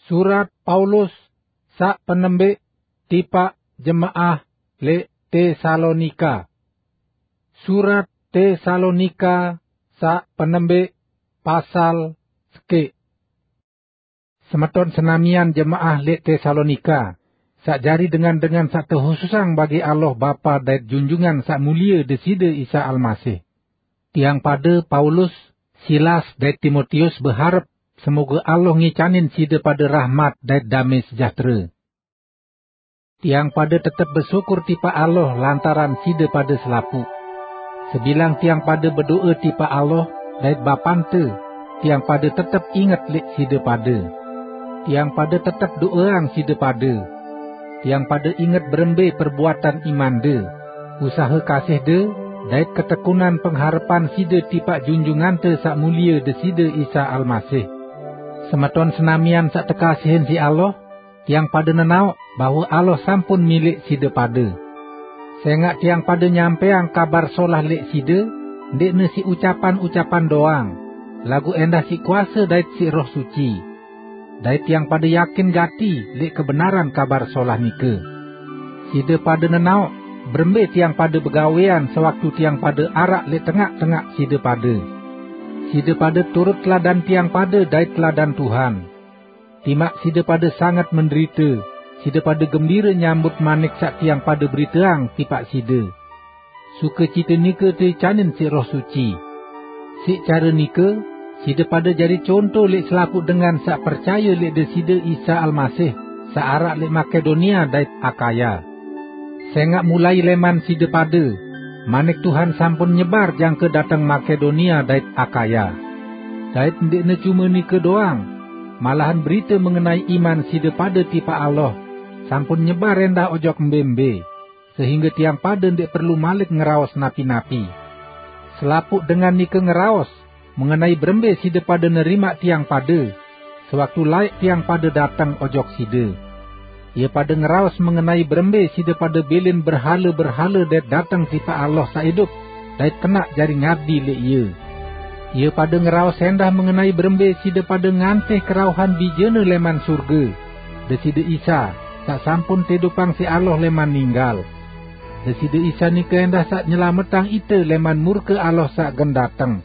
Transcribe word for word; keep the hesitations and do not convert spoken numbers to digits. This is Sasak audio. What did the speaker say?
Surat Paulus saq penembeq tipaq jemaah leq Tesalonika. Surat Tesalonika saq penembeq, pasal sekeq. Semeton senamian jemaah leq Tesalonika, saq jari dengan-dengan saq tehususang bagi Allah Bapa dait Junjungan Saq Mulie Deside Isa Almasih. Tiang pade, Paulus, Silas, dait Timotius, beharep semoge Allah ngicanin side pade rahmat dait dame sejahtere. Tiang pade tetep besyukur tipaq Allah lantaran side pade selapuq. Sebilang tiang pade bedo'e tipaq Allah dait Bapante, tiang pade tetep inget leq side pade. Tiang pade tetep do'eang side pade. Tiang pade inget berembe perbuatan imande, usahe kasihde, dait ketekunan pengharepan side tipaq Junjungante Saq Mulie Deside Isa Almasih. Semeton senamian saq tekasihin siq Allah, tiang pade nenaoq bahwe Allah sampun mileq side pade. Sengaq tiang pade nyampeang Kabar Solah leq side, ndeqne siq ucapan-ucapan doang, laguq endah siq kuase dait siq Roh Suci. Dait tiang pade yakin gati leq kebenaran Kabar Solah nike. Side pade nenaoq berembe tiang pade begawean sewaktu tiang pade araq leq tengaq-tengaq side pade. Side pade turut teladan tiang pade dait teladan Tuhan. Timaq side pade sanget menderite, side pade gembire nyambut manik saq tiang pade beriteang tipaq side. Sukecite nike teicanin siq Roh Suci. Siq care nike, side pade jari conto leq selapuq dengan saq percaye leq Deside Isa Almasih, saq araq leq Makedonia dait Akaya. Sengaq mulai leman side pade, manik Tuhan sampun nyebar jangke dateng Makedonia dait Akaya. Dait ndeqne cume nike doang, malahan berite mengenai iman side pade tipaq Allah sampun nyebar endah ojok mbe-mbe, sehingge tiang pade ndeq perlu malik ngeraos napi-napi. Selapuq dengan nike ngeraos mengenai berembe side pade nerimaq tiang pade, sewaktu laeq tiang pade dateng ojok side. Ie pade ngeraos mengenai berembe side pade bilin berhale-berhale dait dateng tipaq Allah saq idup, dait kenaq jari ngabdi leq Ie. Ie pade ngeraos endah mengenai berembe side pade ngantih kerauhan Bijene leman surge, Deside Isa, saq sampun teidupang siq Allah leman ninggal. Deside Isa nike endah saq nyelametang ite leman murke Allah saq gen dateng.